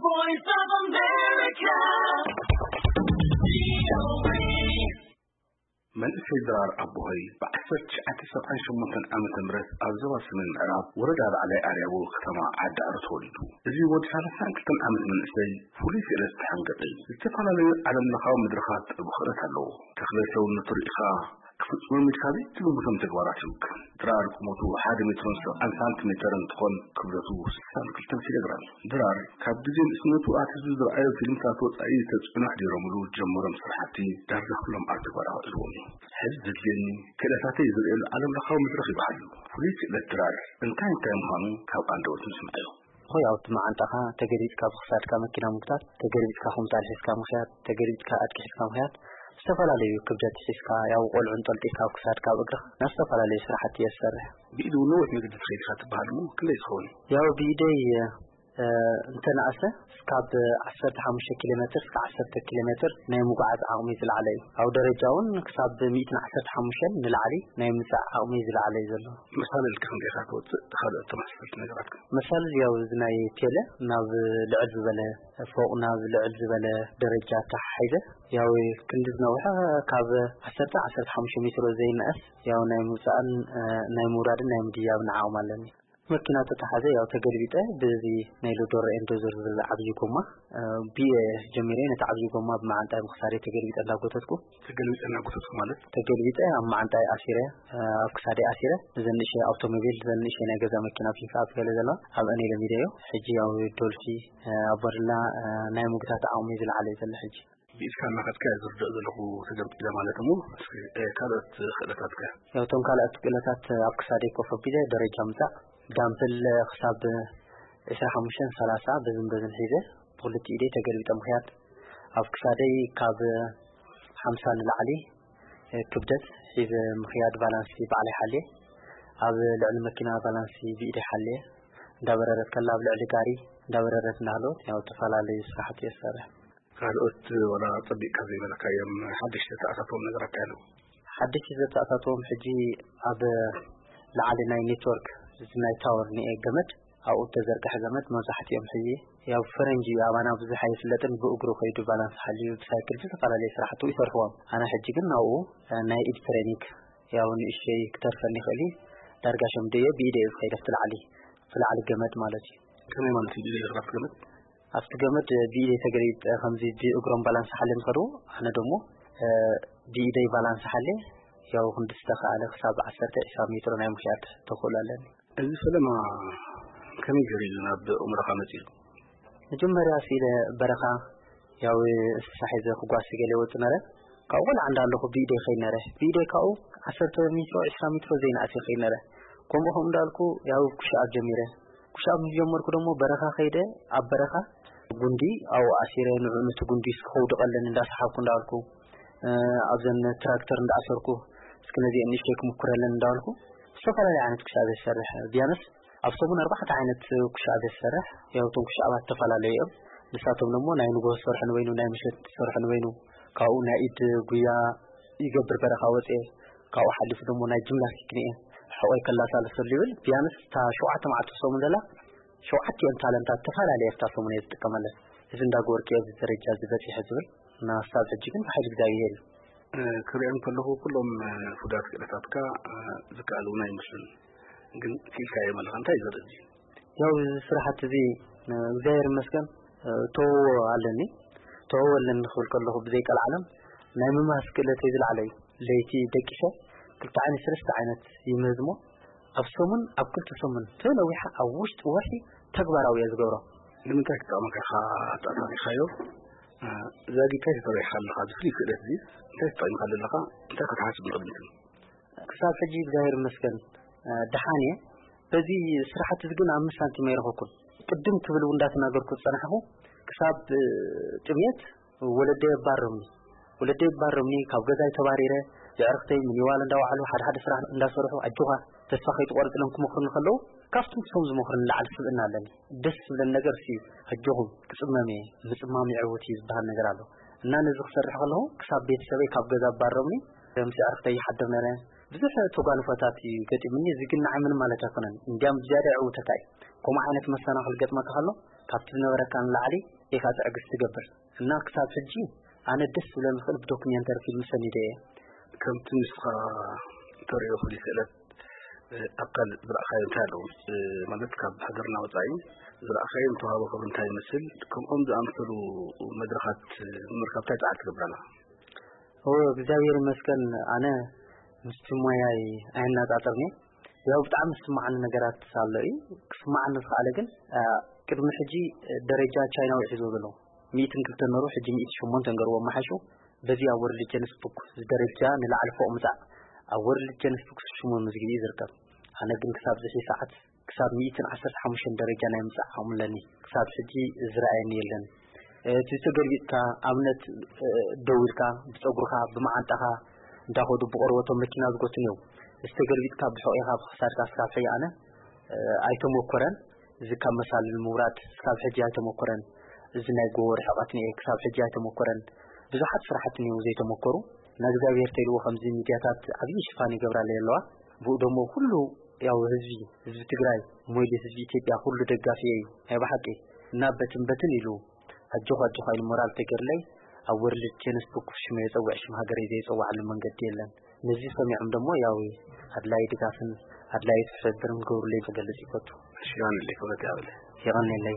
Voice of America. መንእሰይ ድራር ኣቦሆይ ብ1978 ዓመተ ምህረት ኣብ ዞባ ሰሜን ምዕራብ ወረዳ ላዕላይ ኣርያቦ ከተማ ዓዲ ኣሮ ተወሊዱ። እዚ ወዲ 32 ዓመት መንእሰይ ፍሉይ ክእለት ዝተሓንገጠ እዩ። ዝተፈላለዩ ዓለም ለኻዊ መድረኻት ጥበብ ክእለት ኣለዎ። ተኽለ ሰውነቱ ርኢኻ ክፍጽሞም ኢልካ ዘይትግምቶም ተግባራት ይውክል። ድራር ቁመቱ ሓደ ሜትሮን ሰብዓን ሳንቲሜተር እንትኾን ክብደቱ 62 ኪሎ ግራም። ድራር ካብ ግዜ ንእስነቱ ኣትሒዙ ዝረኣዮ ፊልምታት ወጻኢ ተጽዕኖ ኣሕዲሮምሉ ጀመሮም ስራሕቲ ዳርጋ ኩሎም ኣብ ተግባር ኣውዒልዎም እዩ። ሕዚ ዘድልየኒ ክእለታተይ ዝርእየሉ ዓለም ለኻዊ መድረኽ ይበሃል እዩ። ፍሉይ ክእለት ድራር እንታይ እንታይ ምዃኑ ካብ ኣንደበቱ ንስምዓዮ። ሆይ ኣብቲ መዓንጣኻ ተገልቢጥካ ብክሳድካ መኪና ምጉታት፣ ተገልቢጥካ ኮምጣል ሒዝካ ምኽያድ፣ ተገልቢጥካ ኣድቂ ሒዝካ ምኽያድ፣ ዝተፈላለዩ ክብደት ሒዝካ ያው ቆልዑ እንጠልጢልካ ኣብ ክሳድካ ኣብ እግርኻ ናብ ዝተፈላለዩ ስራሕቲ እየ ዝሰርሕ። ብኢዱ ነዊሕ መገዲ ትኸይድ ኢኻ ትበሃል እሞ ክንደይ ዝኸውን እዩ? ያው ብኢደይ እ፣ እንተነኣሰ እስካብ 15 ኪሎ ሜትር እስከ 10 ኪሎ ሜትር ናይ ምጉዓዝ ዓቕሚ ዝለዓለ እዩ። ኣብ ደረጃ እውን ክሳብ 115 ንላዕሊ ናይ ምምጻእ ዓቕሚ ዝለዓለ እዩ ዘሎ። መሳለል ከ ክንደይ ኢኻ ትወጽእ? ካልኦት ተመሳሰልቲ ነገራት ከ? መሳለል ያው እዚ ናይ ቴለ ናብ ልዕል ዝበለ ፎቕ ናብ ልዕል ዝበለ ደረጃ ተሓሒዘ ያው ክንዲ ዝነውሐ ካብ 10 15 ሜትሮ ዘይነኣስ ያው ናይ ምውጻእን እ፣ ናይ ምውራድን ናይ ምድያብን ዓቕሚ ኣለኒ። መኪና ተተሓዘ ያው ተገልቢጠ ብዚ ናይ ሎዶር ኤንዶዘር ዝብል ዓብዪ ጎማ እ፣ ብየ ጀሚረ ነቲ ዓብዪ ጎማ ብመዓንጣይ ብክሳደይ ተገልቢጠ እንዳጎተትኩ ተገልቢጠ እናጎተትኩ ማለት? ተገልቢጠ ኣብ መዓንጣይ ኣሲረ እ፣ ኣብ ክሳደይ ኣሲረ ነዘን ንእሽተይ ኣውቶሞቢል ዘን ንእሽተይ ናይ ገዛ መኪና ፒክኣፕ ገለ ዘለዋ ኣብአን እየ ለሚደዮ። ሕጂ ያው ዶልፊ እ፣ ኣባዱላ እ፣ ናይ ምግታት ዓቕሚ ዝለዓለ እዩ ዘሎ ሕጂ። ብኢድካ እናኸድካ እየ ዝርድኦ ዘለኹ ተገልቢጠ ማለት እሞ እስኪ እ፣ ካልኦት ክእለታትካ? ያው እቶም ካልኦት ክእለታት ኣብ ክሳደይ ኮፍ ኣቢለ ደረጃ ምጻእ ዳምፕል ክሳብ 25 30 በዝን በዝን ሒዘ ብክልቲኡ ኢደይ ተገልቢጠ ምኽያድ ኣብ ክሳደይ ካብ 50 ንላዕሊ እ፣ ክብደት ሒዘ ምኽያድ ባላንሲ ባዕለይ ሓልየ ኣብ ልዕሊ መኪና ባላንሲ ብኢደይ ሓልየ እንዳበረረት ከላ ኣብ ልዕሊ ጋሪ እንዳበረረት እንዳሃለወት ያው ዝተፈላለዩ ስራሕቲ እየ ዝሰርሕ። ካልኦት ወላ ጸቢቕካ ዘይበለካዮም ሓደሽቲ ተኣታተዎም ነገራት ኣለዉ? ሓደሽቲ ዘተኣታተዎም ሕጂ ኣብ ላዕሊ ናይ ኔትወርክ እዚ ናይ ታወር ንኤ ገመድ ኣብኡ ተዘርግሐ ገመድ መብዛሕትኦም ሕጂ ያው ፈረንጂ እዩ ኣባና ብዙሕ ኣይፍለጥን ብእግሩ ከይዱ ባላንስ ሓልዩ ብሳይክል ብዝፈላለየ ስራሕቱ ይሰርሕዎም ኣነ ሕጂ ግን ናብኡ እ፣ ናይ ኢድ ትሬኒክ ያው ንእሽተይ ክተርፈኒ ይኽእል እዩ ዳርጋ ሸምደዮ ብኢደ እዩ ዝኸይድ ኣብቲ ላዕሊ ብላዕሊ ገመድ ማለት እዩ ከመይ ማለት እዩ ብኢደ ዝኸይድ ገመድ ኣብቲ ገመድ ብኢደይ ተገሊጠ ከምዚ ብእግሮም ባላንስ ሓልዮም ዝኸድዎ ኣነ ደሞ እ፣ ብኢደይ ባላንስ ሓልየ ያው ክንዲ ዝተኻኣለ ክሳብ 10 20 ሜትሮ ናይ ምኽያድ ተኽእሎ ኣለኒ። እዚ ፈለማ ከመይ ገይሩ እዩ ናብ ኣእምሮኻ መጺኡ? መጀመርያ ስኢለ በረኻ ያው እንስሳ ሒዘ ክጓሲ ገለ ይወጽእ ነረ ካብኡ ቆልዓ እንዳለኹ ብኢደይ ኸይድ ነረ ብኢደይ ካብኡ 10 ሜትሮ 20 ሜትሮ ዘይንኣስ ይኸይድ ነረ ከምኡ ከምኡ እንዳልኩ ያው ኩሻኣብ ጀሚረ ኩሻኣብ ምስ ጀመርኩ ደሞ በረኻ ኸይደ ኣብ በረኻ ጉንዲ ኣብኡ ኣሲረ ንዑ ነቲ ጉንዲ እስኪ ከውድቐለን እንዳሰሓብኩ እንዳልኩ ኣብዘን ትራክተር እንዳኣሰርኩ እስኪ ነዚአን ንእሽተይ ክምኩረለን እንዳበልኩ ዝተፈላለዩ ዓይነት ኩሻብ እየ ዝሰርሕ ቢያንስ ኣብ ሰሙን ኣርባዕተ ዓይነት ኩሻብ እየ ዝሰርሕ ያው እቶም ኩሻባት ዝተፈላለዩ እዮም ንሳቶም ደሞ ናይ ንግሆ ዝሰርሑ ንበይኑ ናይ ምሸት ዝሰርሑ ንበይኑ ካብኡ ናይ ኢድ ጉያ ይገብር በረኻ ወፅየ ካብኡ ሓሊፉ ደሞ ናይ ጅምናስቲክ ንየ ሕቆይ ከላሳልሰሉ ይብል ቢያንስ እታ ሸውዓተ መዓልቲ ሰሙን ደላ ሸውዓቲኦም ታለንታት ተፈላለየ ኣብታ ሰሙን እየ ዝጥቀመለን እዚ እንዳገበርኩ እየ ኣብዚ ደረጃ እዚ በፂሐ ዝብል እና ክሳብ ሕጂ ግን ብሓይሊ እግዚኣብሄር እዩ ክሪኦም ከለኹ ኩሎም ፍዳት ክእለታትካ ዝከኣል እውን ኣይመስሉን ግን ክኢልካዮም ኣለኻ እንታይ እዩ ዘርኢ ያው እዚ ስራሓት እዚ እግዚኣብሔር ይመስገን ተወዎ ኣለኒ ተወዎ ኣለኒ ክብል ከለኹ ብዘይቀልዓለም ናይ ምምሃዝ ክእለተይ ዝለዓለ እዩ ለይቲ ደቂሰ ክልተ ዓይነት ሰለስተ ዓይነት ይምህዝ እሞ ኣብ ሰሙን ኣብ ክልተ ሰሙን ተነዊሓ ኣብ ውሽጢ ወርሒ ተግባራዊ እየ ዝገብሮ ንምንታይ ክጠቕመካ ኢኻ ኣጣጣሚኻዮ ዛጊብካ ተተባሂኻ ኣለኻ እዚ ፍሉይ ክእለት እዚ እንታይ ተጠቒምካ ኣለኻ እንታይ ክትሓስብ ንቕድሚት ክሳብ ሕጂ እግዚኣብሔር ይመስገን ደሓን እየ በዚ ስራሕቲ እዚ ግን ኣምስት ሳንቲም ኣይረኸኩን ቅድም ክብል እውን እንዳተናገርኩ ዝፀናሕኹ ክሳብ ጥሜት ወለደይ ኣባረሩኒ ወለደይ ኣባረሩኒ ካብ ገዛይ ተባሪረ የዕርክተይ ምኒዋል እንዳወዓሉ ሓደ ሓደ ስራሕ እንዳሰርሑ ኣጆኻ ተስፋ ከይትቆርፅ ኢሎም ክመኽሩኒ ከለዉ ካብቲ ንሶም ዝመኽሩኒ ንላዕሊ ስብእና ኣለኒ ደስ ዝብለኒ ነገር እሱ እዩ ኣጆኹም ክፅመም እየ ምፅማም የዕውት እዩ ዝበሃል ነገር ኣሎ እና ነዚ ክሰርሕ ከለኹ ክሳብ ቤተሰበይ ካብ ገዛ ኣባረሩኒ ምስ የዕርክተይ ይሓድር ነረ ብዙሕ ተጓንፎታት እዩ ገጢሙኒ እዚ ግን ንዓይ ምንም ማለት ኣይኮነን እንዲያም ብዝያዳ የዕውተካ እዩ ከምኡ ዓይነት መሰናኽል ገጥመካ ከሎ ካብቲ ዝነበረካ ንላዕሊ ኢኻ ትዕግስቲ ትገብር። እና ክሳብ ሕጂ ኣነ ደስ ዝብለኒ ክእል ብዶክሜንተሪ ፊልም ሰኒደ እየ። ከምቲ ንስኻ ተሪኦ ፍሉይ ክእለት ኣካል ዝረኣኻዮ እንታይ ኣለዎ? ማለት ካብ ሃገርና ወፃኢ ዝረኣኻዮ ንተዋህቦ ክብሪ እንታይ ይመስል? ከምኦም ዝኣመሰሉ መድረኻት ንምርካብ እንታይ ፃዕሪ ትገብር ኣለኻ? እወ እግዚኣብሔር ይመስገን ኣነ ምስቲ ሞያይ ኣየናፃፅርኒ። ያው ብጣዕሚ ዝስማዓኒ ነገራት ኣሎ እዩ። ክስማዓኒ ዝኸኣለ ግን ቅድሚ ሕጂ ደረጃ ቻይናዊ ሒዝዎ ዘሎ ሚእትን ክልተን ነሩ ሕጂ ሚእቲ ሸሞንተ ንገርዎ መሓሹ። በዚ ኣብ ወርልድ ጀንስ ቡክ ዝደረጃ ንላዕሊ ፎቕ ምፃእ ኣብ ወርልድ ጀንስ ቡክ ሽሙ ምዝግቢ እዩ ዝርከብ። ኣነ ግን ክሳብ ዝሒ ሰዓት ክሳብ ሚእትን ዓሰርተ ሓሙሽተን ደረጃ ናይ ምፃእ ዓቕሚ ኣለኒ። ክሳብ ሕጂ ዝረኣየኒ የለን። እቲ ተገልቢጥካ ኣብነት ደው ኢልካ ብፀጉርካ ብመዓንጣኻ እንዳኸዱ ብቆርበቶም መኪና ዝጎቱን እዮም። እዚ ተገልቢጥካ ብሕቑኻ ብክሳድካ ስካብ ሕጂ ኣነ ኣይተሞኮረን። እዚ ካብ መሳልል ምውራድ ስካብ ሕጂ ኣይተሞኮረን። እዚ ናይ ጎቦ ርሕቐት ንኤ ክሳብ ሕጂ ኣይተሞኮረን። ብዙሓት ስራሕቲ እኒው ዘይተሞከሩ። ንእግዚኣብሔር ተይልዎ ከምዚ ሚድያታት ዓብዪ ሽፋን ይገብራለ ኣለዋ። ብኡ ደሞ ኩሉ ያው ህዝቢ ህዝቢ ትግራይ ሞይሊ ህዝቢ ኢትዮጵያ ኩሉ ደጋፊ እዩ። ናይ ብሓቂ እና በትን በትን ኢሉ ኣጆኻ ኣጆኻ ኢሉ ሞራል ተገርለይ ኣብ ወርልድ ቴኒስ ቡክ ሽመ የፀውዕ ሽም ሃገረይ ዘይፀዋዕሉ መንገዲ የለን። ነዚ ሰሚዖም ደሞ ያው ኣድላይ ድጋፍን ኣድላይ ትሕብብርን ክገብሩለይ ክገልጽ ይፈቱ። ሽጋንለይ ክብረት ያብለ ይቐነለይ።